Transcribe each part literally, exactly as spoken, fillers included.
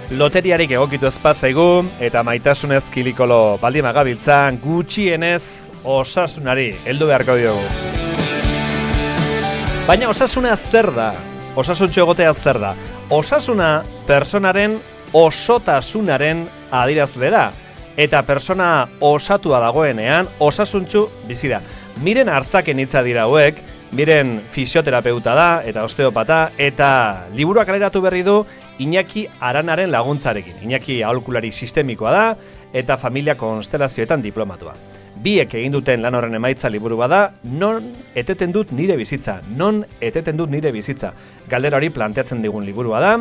Loteriarik egokitu ezpazaigu eta maitasunez kilikolo baldin magabiltzan gutxienez osasunari heldu beharko diogu. Baina osasuna zer da? Osasuntxo egotea zer da? Osasuna personaren osotasunaren adierazle da. Eta persona osatua dagoenean osasuntxu bizi da. Miren Arzaken hitza dira hauek, miren fisioterapeuta da eta osteopata eta liburuak kaleratu berri du Iñaki Aranaren laguntzarekin. Iñaki aholkulari sistemikoa da eta familia konstelazioetan diplomatua. Biek egin duten lan horren emaitza liburu bada, non eteten dut nire bizitza, non eteten dut nire bizitza. Galdera hori planteatzen digun liburua da,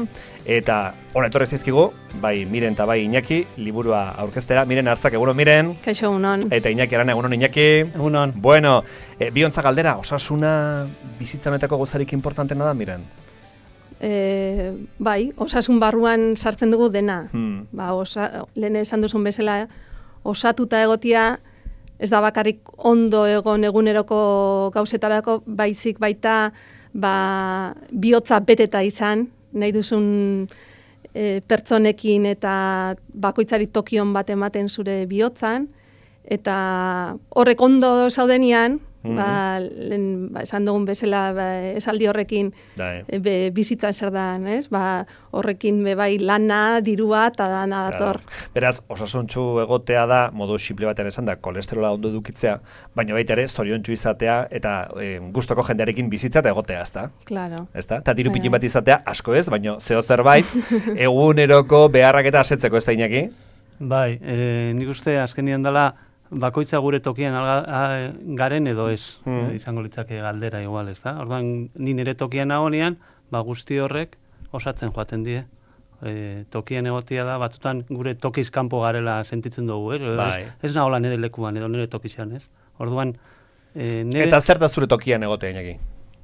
eta hona etorri zizkigu, bai Miren eta bai Iñaki, liburua aurkeztera. Miren Arzak, egunon Miren. Kaixo, egunon. Eta Iñaki Arana, egunon Iñaki. Egunon. Bueno, e, biontza galdera, osasuna bizitza honetako gozarik importantena da, Miren? E, bai, osasun barruan sartzen dugu dena. Hmm. Ba, osa, lehen esan duzun bezala, osatuta egotia, ez da bakarrik ondo egon eguneroko gauzetarako, baizik baita ba, bihotza beteta izan, nahi duzun e, pertsonekin eta bakoitzari tokion bat ematen zure bihotzan, eta horrek ondo zaudenian, mm-hmm. ba, lehen, ba, esan dugun bezala ba, esaldi horrekin e, be, bizitzan zer da, ez? Ba, horrekin be, bai lana, dirua eta dana dator. Claro. Beraz, osasuntxu egotea da, modu simple batean esan da, kolesterola ondo edukitzea, baina baita ere, zoriontsu izatea eta e, gustoko jendearekin bizitza eta egotea, ezta? Claro. Ezta? Eta diru pikin bat izatea, asko ez, baina zeo zerbait, eguneroko beharrak eta asetzeko, ez da Iñaki? Bai, e, nik uste azkenian dela, bakoitza gure tokian alga, garen edo ez, hmm. izango litzake galdera igual, ez da? Orduan, ni nire tokian nagonean, ba guzti horrek osatzen joaten die. E, tokian egotia da, batzutan gure tokiz kanpo garela sentitzen dugu, eh? Bai. Ez, ez nagola nire lekuan edo nire tokizean, ez? Orduan, e, nire... Eta zer da zure tokian egotea, Iñaki?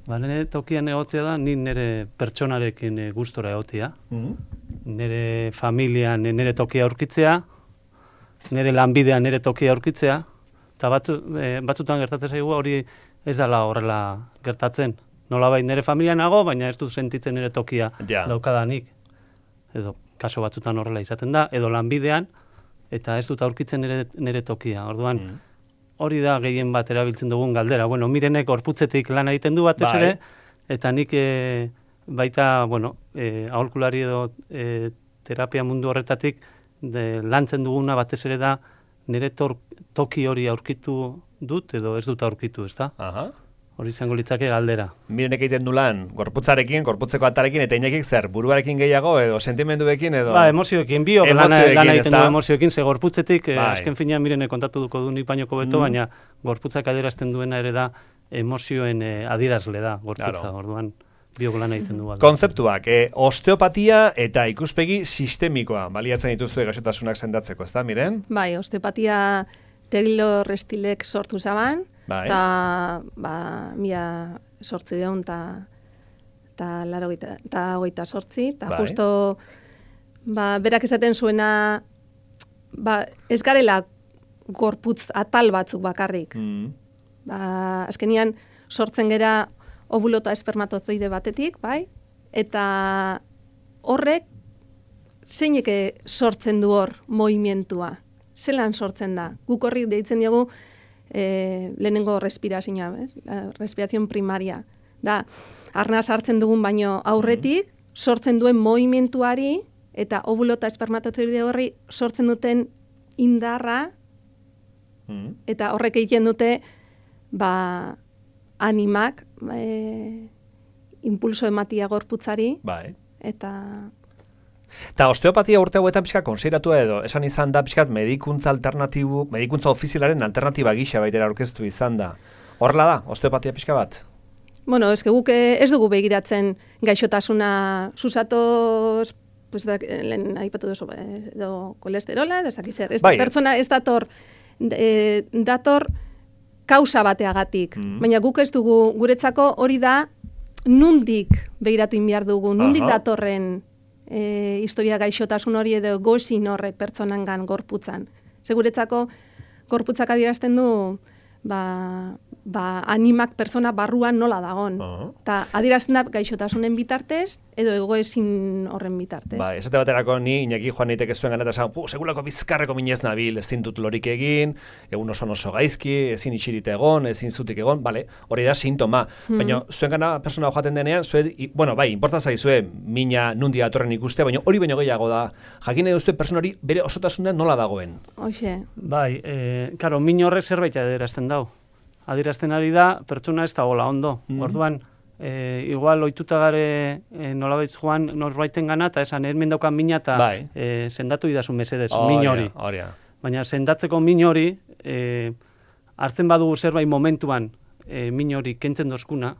Ba, nire tokian egotea da, ni nire pertsonarekin e, gustora egotia. Mm-hmm. Nire familian nire tokia aurkitzea, nire lanbidean nire tokia aurkitzea, eta batzu, e, batzutan gertatzen zaigu hori ez dela horrela gertatzen. Nolabait nire familia nago, baina ez du sentitzen nire tokia ja. daukadanik. Edo kaso batzutan horrela izaten da, edo lanbidean, eta ez dut aurkitzen nire, nire tokia. Orduan, mm. hori da gehien bat erabiltzen dugun galdera. Bueno, Mirenek gorputzetik lan egiten du batez ere, eta nik e, baita, bueno, e, aholkulari edo e, terapia mundu horretatik, de, lantzen duguna batez ere da nire tor, toki hori aurkitu dut edo ez dut aurkitu, ez da? Aha. Hori izango litzake galdera. Mirenek egiten du lan, gorputzarekin, gorputzeko atarekin, eta Iñakik zer, buruarekin gehiago edo sentimenduekin edo... Ba, emozioekin, biok lan egiten du emozioekin, ze gorputzetik, bai. Azken finean Mirenek kontatu duko du nik bainoko beto, mm. baina gorputzak adierazten duena ere da emozioen eh, adierazle da gorputza, claro. Orduan... biok lan egiten du. Kontzeptuak, e, osteopatia eta ikuspegi sistemikoa baliatzen dituzue gaixotasunak sendatzeko, ezta, Miren? Bai, osteopatia Taylor Stilek sortu zaban, eta ba, mila sortzireun eta laro eta hogeita sortzi, eta bai. Justo ba, berak esaten zuena ba, ez garela gorputz atal batzuk bakarrik. Mm. Ba, azkenian sortzen gera ovulo eta espermatozoide batetik, bai? Eta horrek zeineke sortzen du hor movimentua. Zelan sortzen da? Guk horri deitzen diogu e, lehenengo respirazioa, respirazion primaria. Da, arnaz hartzen dugun baino aurretik, sortzen duen movimentuari eta ovulo eta espermatozoide horri sortzen duten indarra eta horrek egiten dute ba, animak e, impulso ematia gorputzari, bai. Eta... Eta osteopatia urte hauetan pixka konsideratua edo, esan izan da pixkat medikuntza alternatibu, medikuntza ofizialaren alternatiba gisa baitera aurkeztu izan da. Horrela da, osteopatia pixka bat? Bueno, ez guk ez dugu begiratzen gaixotasuna susatoz, pues da, lehen aipatu duzu, edo kolesterola, edo ezak izer. Ez bai. Pertsona ez dator, e, dator kausa bateagatik. Mm. Baina guk ez dugu, guretzako hori da, nundik begiratu inbiar dugu, nundik Aha. datorren e, historia gaixotasun hori edo gozin horrek pertsonangan gorputzan. Ze guretzako gorputzak adierazten du, ba, ba, animak pertsona barruan nola dagon. Eta uh-huh. adierazten da gaixotasunen bitartez, edo egoezin horren bitartez. Ba, esate baterako ni, Iñaki joan niteke zuen gana, eta esan, segulako bizkarreko minez nabil, ezin dut lorik egin, egun oso oso gaizki, ezin itxirite egon, ezin zutik egon, bale, hori da sintoma. Hmm. Baina zuen gana persona joaten denean, zuen, bueno, bai, inporta zaizue, mina nundi atorren ikustea, baina hori baino gehiago da, jakin edo zuen persona hori bere osotasunean nola dagoen. Hoxe. Bai, eh, karo, min horrek zerbait adierazten dau. Adierazten ari da, pertsona ez da gola ondo. Mm. Orduan, e, igual ohituta gare e, nolabait joan norbaiten gana, eta esan, hemen daukan mina eta bai. e, sendatu idazu mesedez, oh, min hori. Oh, yeah. Baina sendatzeko min hori, e, hartzen badugu zerbait momentuan e, min hori kentzen dozkuna,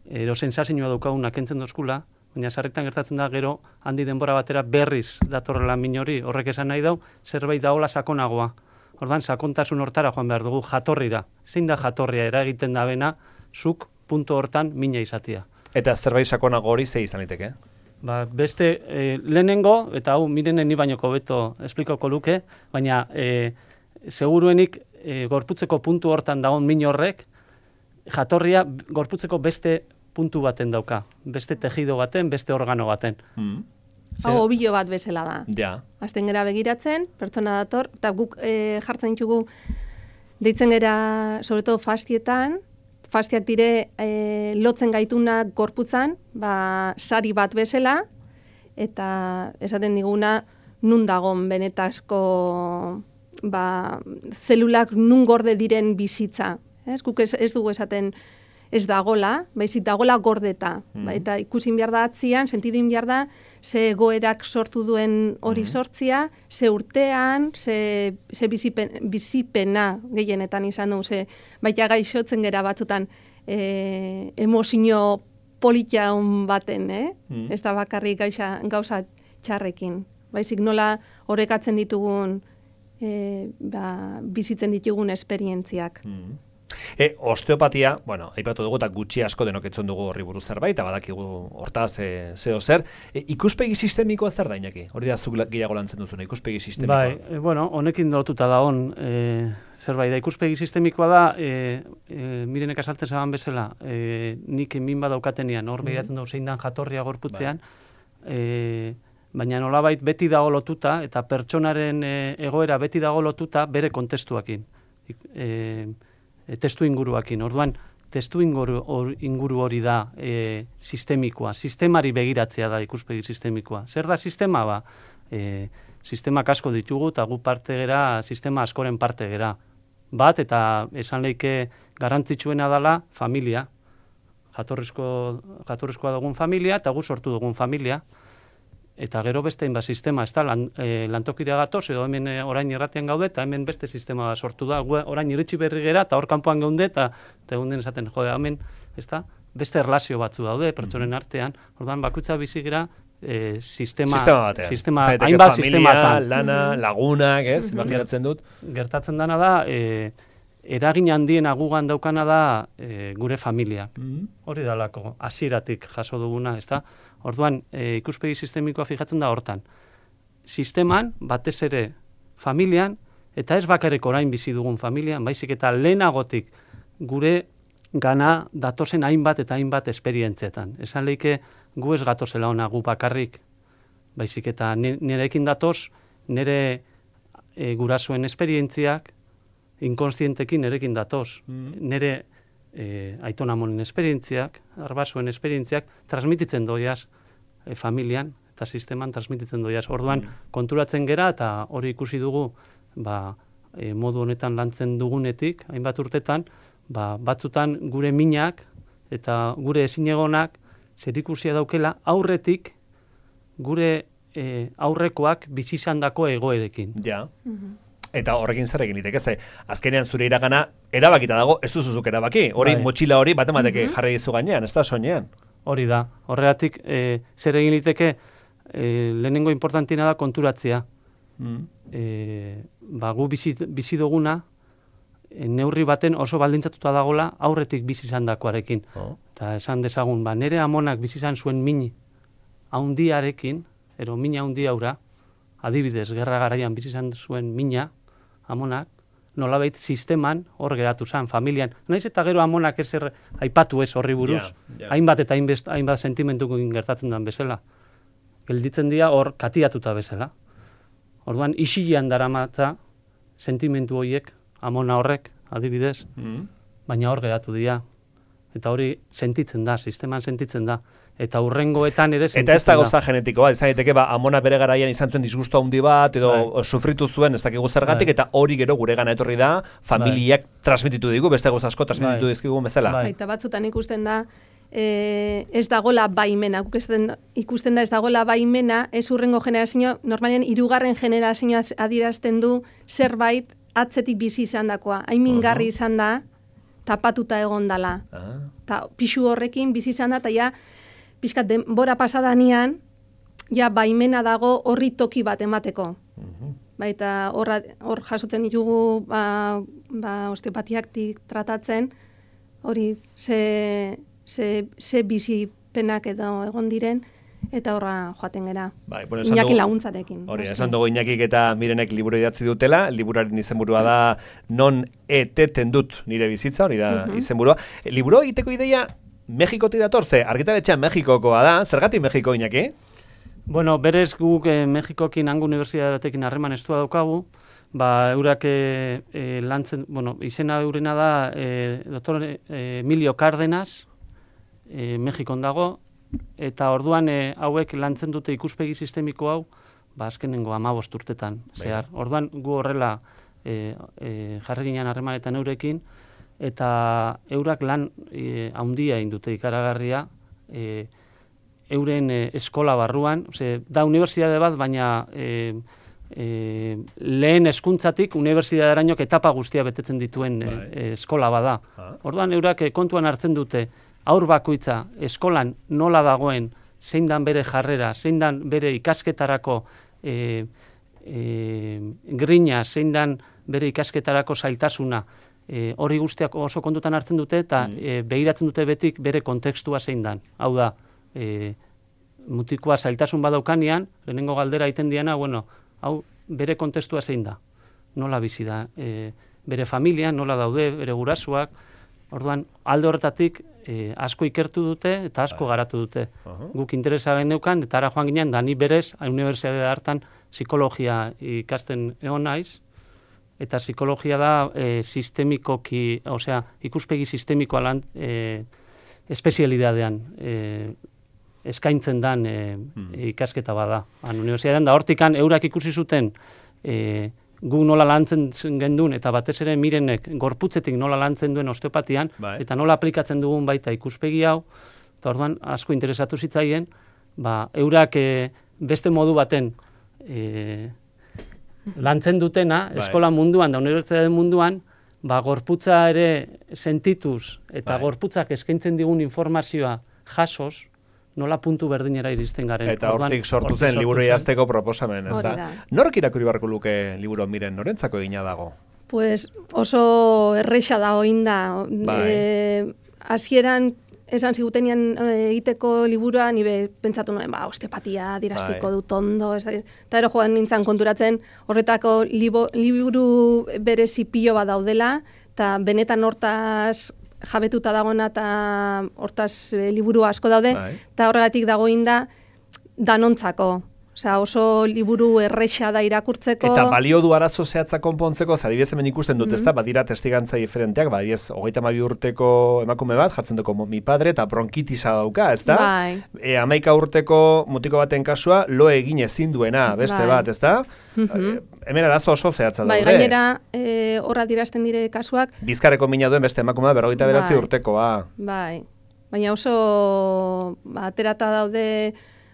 ero sensazioa daukaguna kentzen dozkula, baina sarretan gertatzen da gero, handi denbora batera berriz datorrela min hori, horrek esan nahi dau, zerbait daola sakonagoa. Ordan sakontasun hortara joan behar dugu jatorrira. Zein da jatorria eragiten da bena, zuk puntu hortan mina izatia. Eta zerbait sakonago hori ze izan liteke? Ba, beste e, lehenengo, eta hau mirenen ni bainoko beto esplikoko luke, baina e, seguruenik e, gorputzeko puntu hortan dagoen min horrek, jatorria gorputzeko beste puntu baten dauka. Beste tejido baten, beste organo baten. Mm. Hau obilo bat bezala da. Ja. Azten gera begiratzen, pertsona dator, eta guk e, jartzen ditugu deitzen gera, sobretodo fastietan, fastiak dire e, lotzen gaitunak gorputzan, ba, sari bat bezala, eta esaten diguna nun dagon benetazko ba, zelulak nun gorde diren bizitza. Ez, guk ez, ez dugu esaten ez dagola, baizik dagola gordeta. Mm. Ba, eta ikusin behar da atzian, sentidin behar da, ze egoerak sortu duen hori mm. sortzia, ze urtean, ze, ze bizipen, bizipena gehienetan izan du, ze baita gaixotzen gera batzutan e, emozio politia hon baten, eh? Mm. Ez da bakarrik gaixa, gauza txarrekin. Baizik nola horrekatzen ditugun, e, ba, bizitzen ditugun esperientziak. Mm. E, osteopatia, bueno, aipatu dugu eta gutxi asko denoketzen dugu horri buruz zerbait, eta badakigu hortaz e, zeo zer. E, ikuspegi sistemikoa zer da, Iñaki? Hori da zuk gehiago lantzen duzuna, ikuspegi sistemikoa. Bai, e, bueno, honekin lotuta da hon, e, zerbait da, ikuspegi sistemikoa da, e, e, mirenek asaltzen zaban bezala, e, nik min badaukatenean, hor behiratzen mm-hmm. dugu zein dan jatorria gorputzean, bai. e, baina nolabait beti dago lotuta, eta pertsonaren e, egoera beti dago lotuta bere kontestuakin. E, testu inguruakin. Orduan, testu inguru, or, inguru hori da e, sistemikoa. Sistemari begiratzea da ikuspegi sistemikoa. Zer da sistema? Ba, e, sistemak asko ditugu eta gu parte gera, sistema askoren parte gera. Bat, eta esan leike garrantzitsuena dela familia. Jatorrizko, jatorrizkoa dugun familia eta gu sortu dugun familia. Eta gero beste inba sistema, ez da, lan, e, lantokira gatoz, edo hemen e, orain irratian gaude, eta hemen beste sistema sortu da, gu, orain iritsi berri gera, eta hor kanpoan gaude, eta egun den esaten, jode, hemen, ez da, beste erlazio batzu daude, pertsonen artean, orduan bakutza bizi gera, e, sistema, sistema batean. Sistema, hainbat sistema. Lana, lagunak, ez, imaginatzen dut. Gertatzen dana da, e, eragin handien agugan daukana da e, gure familiak. Mm-hmm. Hori dalako, hasieratik jaso duguna, ez da? Orduan, e, ikuspegi sistemikoa fijatzen da hortan. Sisteman, batez ere familian, eta ez bakarrik orain bizi dugun familian, baizik eta lehenagotik gure gana datozen hainbat eta hainbat esperientzietan. Esan leike gu ez gatozela ona gu bakarrik, baizik eta nirekin datoz, nire e, gurasoen esperientziak, inkonstientekin nirekin datoz. Mm. Nire E, aitonamonen esperientziak, arbasuen esperientziak, transmititzen doiaz e, familian eta sisteman transmititzen doiaz. Orduan, mm. konturatzen gera eta hori ikusi dugu ba, e, modu honetan lantzen dugunetik, hainbat urtetan, ba, batzutan gure minak eta gure ezinegonak zerikusia daukela aurretik gure e, aurrekoak bizizandako egoerekin. Ja. Mm-hmm. Eta horrekin zer egin liteke, ze azkenean zure iragana erabakita dago, ez duzuzuk erabaki. Hori bai. Motxila hori bat emateke mm-hmm. jarri dizu gainean, ez da soinean. Hori da. Horregatik e, zer egin liteke e, lehenengo importantiena da konturatzea. Mm. E, ba, gu bizi, bizi duguna e, neurri baten oso baldintzatuta dagola aurretik bizi izandakoarekin. Oh. Eta esan dezagun, ba, nire amonak bizi izan zuen min haundiarekin, ero min haundi aura, adibidez, gerra garaian bizi izan zuen mina, amonak, nolabait sisteman hor geratu zen, familian. Naiz eta gero amonak ezer aipatu ez horri buruz, yeah, yeah. hainbat eta hainbest, hainbat sentimentukin gertatzen den bezala. Gelditzen dira hor katiatuta bezala. Orduan, isilean daramatza sentimentu horiek, amona horrek, adibidez, mm. baina hor geratu dira. Eta hori sentitzen da, sisteman sentitzen da. Eta urrengoetan ere sentitzen da. Eta ez da gauza genetikoa, izan daiteke ba, amona bere garaian izan zuen disgusto handi bat, edo bai. sufritu zuen ez dakigu zergatik, bai. eta hori gero gure gana etorri da, familiak bai. transmititu digu, beste gauza asko transmititu bai. dizkigu bezala. Bai. Eta batzutan ikusten da, e, ez dagola baimena, ikusten, ikusten da ez dagola baimena, ez urrengo generazio, normalean hirugarren generazioa adierazten du zerbait atzetik bizi izan dakoa. Hain mingarri uh-huh. izan da, tapatuta egon dala. Uh-huh. Ta pixu horrekin bizi izan da, eta ja, pixkat denbora pasadanean, ja baimena dago horri toki bat emateko. Uh-huh. Baita hor jasotzen ditugu ba, ba, osteopatiaktik tratatzen, hori ze, ze, ze bizipenak edo egon diren, eta horra joaten gera. Bai, bueno, Iñaki laguntzarekin. Hori, esan dugu Iñakik eta Mirenek liburu idatzi dutela, liburaren izenburua da non eteten dut nire bizitza, hori da uh-huh. izenburua. Liburu egiteko ideia Mexikotik dator, ze argitaletxean Mexikokoa da, zergatik Mexiko, Iñaki? Bueno, berez guk eh, Mexikokin hango unibertsitate batekin harreman estua daukagu, ba, eurak eh, eh, lantzen, bueno, izena eurena da eh, doktor eh, Emilio Cárdenas, eh, Mexikon dago, eta orduan eh, hauek lantzen dute ikuspegi sistemiko hau, ba, azkenengo hamabost urtetan, zehar. Orduan gu horrela eh, eh, jarri ginen harremanetan eurekin, eta eurak lan e, haundia egin dute ikaragarria e, euren e, eskola barruan, ose, da unibertsitate bat, baina e, e, lehen hezkuntzatik unibertsitatearainok etapa guztia betetzen dituen e, e, eskola bada. Orduan eurak e, kontuan hartzen dute haur bakoitza eskolan nola dagoen, zein dan bere jarrera, zein dan bere ikasketarako e, e, grina, zein dan bere ikasketarako zailtasuna, E, horri guztiak oso kontutan hartzen dute eta mm. e, behiratzen dute betik bere kontekstua zein dan. Hau da, e, mutikoa zailtasun badaukanean, lehenengo galdera egiten diana, bueno, hau bere kontekstua zein da. Nola bizi da, e, bere familia, nola daude, bere gurasuak. Orduan, alde horretatik e, asko ikertu dute eta asko garatu dute. Uh-huh. Guk interesa geneukan, eta ara joan ginen, da ni berez, unibertsitate hartan psikologia ikasten egon naiz, eta psikologia da e, sistemikoki, osea, ikuspegi sistemikoa lan e, espezialidadean e, eskaintzen dan e, mm. ikasketa bada. Han unibertsitatean da hortikan eurak ikusi zuten e, gu nola lantzen gendun eta batez ere Mirenek gorputzetik nola lantzen duen osteopatian bai. Eta nola aplikatzen dugun baita ikuspegi hau, eta orduan asko interesatu zitzaien, ba, eurak e, beste modu baten e, lantzen dutena, bai. Eskola munduan da unibertsitate munduan, ba, gorputza ere sentituz eta bai. Gorputzak eskaintzen digun informazioa jasoz, nola puntu berdinera iristen garen. Eta hortik sortu zen liburu idazteko proposamen, ez da? Nork irakurri beharko luke liburu Miren, norentzako egina dago? Pues oso erreixa da oinda. Bai. E, hasieran esan zigutenean egiteko liburua, nibe pentsatu nuen, ba, osteopatia dirastiko bai. Dut ondo, eta ero joan nintzen konturatzen horretako libo, liburu berezi pilo bat daudela, eta benetan hortaz jabetuta dagoena eta hortaz e, liburu asko daude, eta bai. Horregatik dagoin da danontzako. Osea, oso liburu erreixa da irakurtzeko. Eta balio du arazo zehatza konpontzeko, zadibidez hemen ikusten dut, mm-hmm. ez da, badira testigantza diferenteak, badibidez, hogeita hamabi urteko emakume bat, jatzen duko mi padre, eta bronkitisa dauka, ez da? Bai. E, amaika urteko mutiko baten kasua, lo egin ezin duena, beste bai. Bat, ez da? Mm-hmm. E, hemen arazo oso zehatza daude. Bai, gainera, e, horra dirazten dire kasuak. Bizkarreko mina duen beste emakume bat, berrogeita beratzi bai. Urtekoa. Bai, baina oso ba, aterata daude,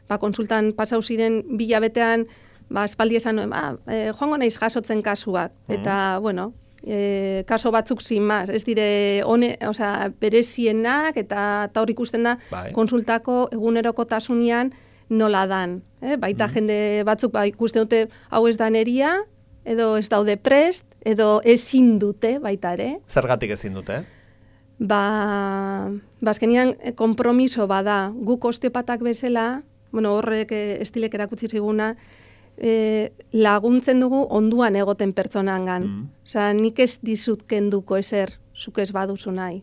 ba, konsultan pasau ziren bilabetean, ba, espaldi esan nuen, ba, e, joango naiz jasotzen kasuak. Mm. Eta, bueno, e, kaso batzuk sin más, ez dire, one, osea, berezienak, eta hor ikusten da, bai. Konsultako egunerokotasunean nola dan. Eh? Baita mm. jende batzuk ba, ikusten dute, hau ez da neria, edo ez daude prest, edo ezin dute, baita ere. Zergatik ezin dute, Ba, bazkenian kompromiso bada, guk osteopatak bezala, bueno, horrek estilek erakutsi ziguna, e, laguntzen dugu onduan egoten pertsonangan. Mm. Osea, nik ez dizut kenduko ezer, zuk ez baduzu nahi.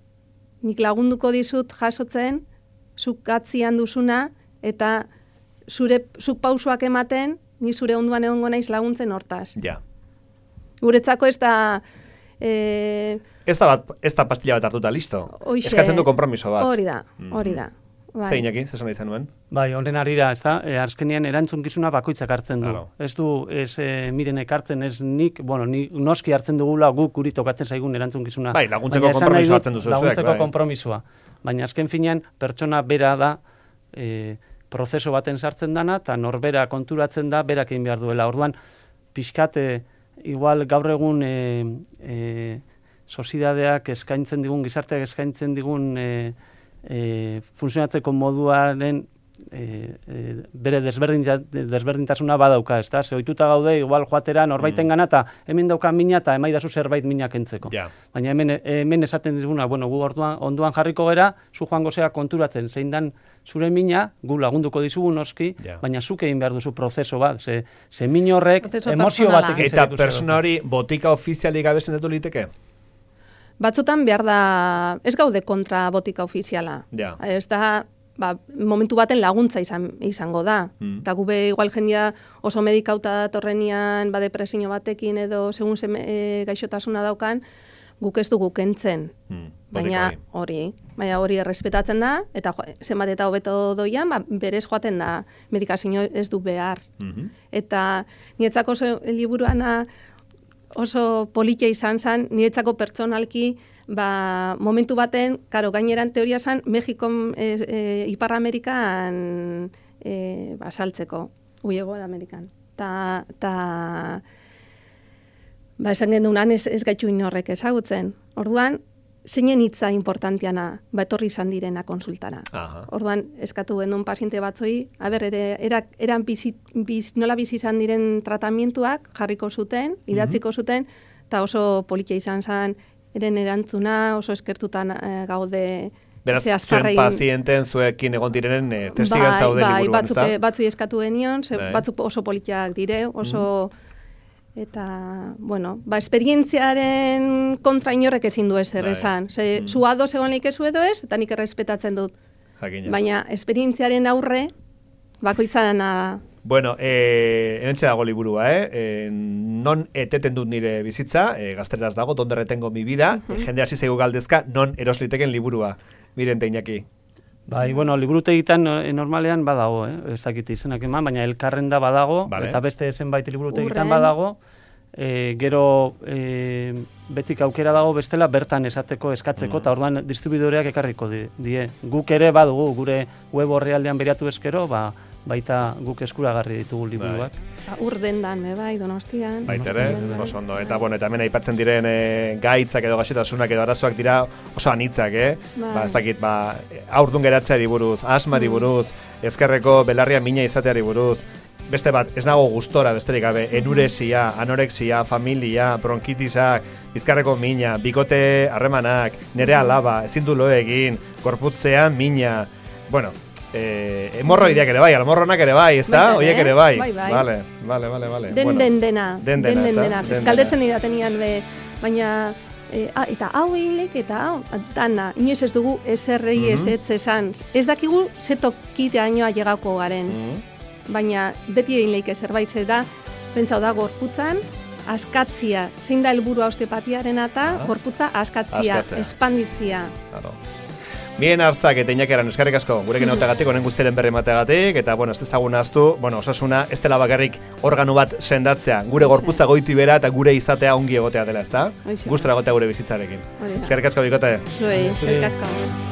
Nik lagunduko dizut jasotzen, zuk atzian duzuna, eta zure, zuk pausoak ematen, ni zure onduan egongo naiz laguntzen hortaz. Ja. Guretzako ez da... E... Ez da, bat, ez da pastilla bat hartuta, listo. Oixe, eskatzen du konpromiso bat. Hori da, hori da. Bai. Zeinaki, zesan izan nuen? Bai, horren arira, ez da, e, azkenean erantzunkizuna bakoitzak hartzen du. Claro. Ez du, ez e, mirenek hartzen, ez nik, bueno, ni, noski hartzen dugula guk guri tokatzen zaigun erantzunkizuna. Bai, laguntzeko konpromisoa hartzen duzu. Laguntzeko bai. konpromisoa. Baina azken finean, pertsona bera da, e, prozeso baten sartzen dana, eta norbera konturatzen da, berak egin behar duela. Orduan, pixkate, igual gaur egun e, e, soziedadeak eskaintzen digun, gizarteak eskaintzen digun e, E, funtzionatzeko moduaren e, e, bere desberdin, desberdintasuna badauka, ez da? Ze ohituta gaude, igual joatera norbaiten gana, eta hemen dauka mina eta emaidazu zerbait mina kentzeko. Yeah. Baina hemen, hemen esaten dizuguna, bueno, gu orduan, onduan jarriko gera, zu joango zea konturatzen, zein dan zure mina, gu lagunduko dizugu noski, yeah. baina zuk egin behar duzu prozeso bat, ze, ze min horrek emozio batek. Eta persona hori botika ofizialik gabe sendatu liteke? Batzutan behar da, ez gaude kontra botika ofiziala. Ja. Ez da, ba, momentu baten laguntza izan, izango da. Mm. Eta gube igual jendia oso medikauta datorrenian, ba, depresio batekin edo segun ze, e, gaixotasuna daukan, guk ez dugu kentzen. Mm. Baina hori, baina hori errespetatzen da, eta jo, zenbat eta hobeto doian, ba, berez joaten da, medikazio ez du behar. Mm-hmm. Eta niretzako oso liburuana oso politia izan zen, niretzako pertsonalki, ba, momentu baten, karo, gaineran teoria zen, Mexikon, e, e, Ipar Amerikan e, ba, saltzeko, uiego da Amerikan. Ta, ta, ba, esan gendunan ez, ez gaitxu inorrek ezagutzen. Orduan, zeinen hitza importantiana, ba, etorri izan direna konsultara. Aha. Orduan, eskatu gendun paziente batzoi, haber, ere, erak, eran bizi, biz, nola bizi izan diren tratamientuak jarriko zuten, idatziko mm-hmm. zuten, eta oso politia izan zen, eren erantzuna, oso eskertutan e, gaude... Beraz, zuen pazienten zuekin egon direnen e, testigantza haude bai, liburuan, batzuk, ez da? Batzuk eskatu genion, batzuk oso politiak dire, oso... Mm-hmm. Eta, bueno, ba, esperientziaren kontra inorrek ezin du ezer esan. Ze, mm. zu ados egon leik ezu edo ez, eta nik errespetatzen dut. Jakina. Baina, esperientziaren aurre, bakoitzarana... Bueno, eh, enentxe dago liburua, eh? eh? Non eteten dut nire bizitza, eh, gazteraz dago, donde retengo mi vida, uh-huh. jende hasi zaigu galdezka, non erosliteken liburua. Miren teinaki. Bai, bueno, liburutegitan normalean badago, eh? Ez dakit izenak eman, baina elkarren da badago, vale. Eta beste zenbait liburutegitan badago, e, gero e, betik aukera dago bestela bertan esateko, eskatzeko, eta mm. orduan distribuidoreak ekarriko die, die. Guk ere badugu, gure web orrialdean beriatu eskero, ba, baita guk eskuragarri ditugu liburuak. Ba, ur dendan, me bai, Donostian. Baitere, oso ondo. Eta, bueno, eta hemen aipatzen diren e, gaitzak edo gaixotasunak edo arazoak dira oso anitzak, eh? Bai. Ba, ez dakit, ba, aurdun geratzeari buruz, asmari buruz, ezkerreko belarria mina izateari buruz, beste bat, ez nago gustora besterik gabe, enuresia, anorexia, familia, bronkitisak, bizkarreko mina, bikote harremanak, nere alaba, ezin du lo egin, gorputzean mina, bueno, Eh, hemorroideak ere bai, almorronak ere bai, ezta? Oiek ere bai. Bai, bai. Vale, vale, vale, vale. Den, bueno. den dena. Den dena, den dena. Eskaldetzen didatenian be, baina eh, ah, eta hau hilek eta hau, dana, inoiz ez dugu eserrei mm -hmm. ez esan. Ez dakigu zetokiteainoa llegako garen. Mm -hmm. Baina beti egin leike zerbait ze da, pentsau da gorputzan, askatzia, zein da helburua osteopatiaren eta ah. gorputza askatzia, askatzea. Espanditzia. Claro. Bien Arzak eta Iñakeran eskerrik asko gurekin egoteagatik, honen guztiaren berri emateagatik, eta bueno, ez dezagun ahaztu, bueno, osasuna ez dela bakarrik organu bat sendatzea, gure gorputza goiti bera eta gure izatea ongi egotea dela, ezta? Gustura egotea gure bizitzarekin. Eskerrik asko bikote. Zuei, eskerrik asko.